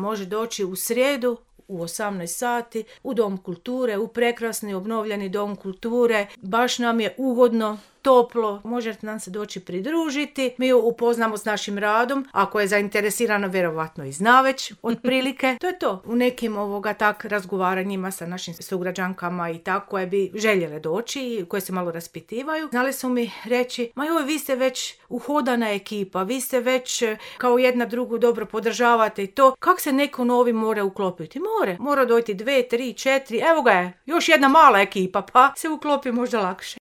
može doći u srijedu u 18 sati u Dom kulture, u prekrasni obnovljeni Dom kulture. Baš nam je ugodno, toplo, možete nam se doći pridružiti. Mi ju upoznamo s našim radom, ako je zainteresirano, vjerovatno i zna već otprilike. To je to. U nekim razgovaranjima sa našim sugrađankama i tako koje bi željele doći i koje se malo raspitivaju, znali su mi reći, ma joj, vi ste već uhodana ekipa, vi ste već kao jedna drugu dobro podržavate i to. Kak se neko novi mora uklopiti? Mora dojti 2, 3, 4, evo ga je, još jedna mala ekipa, pa se uklopi možda lakše.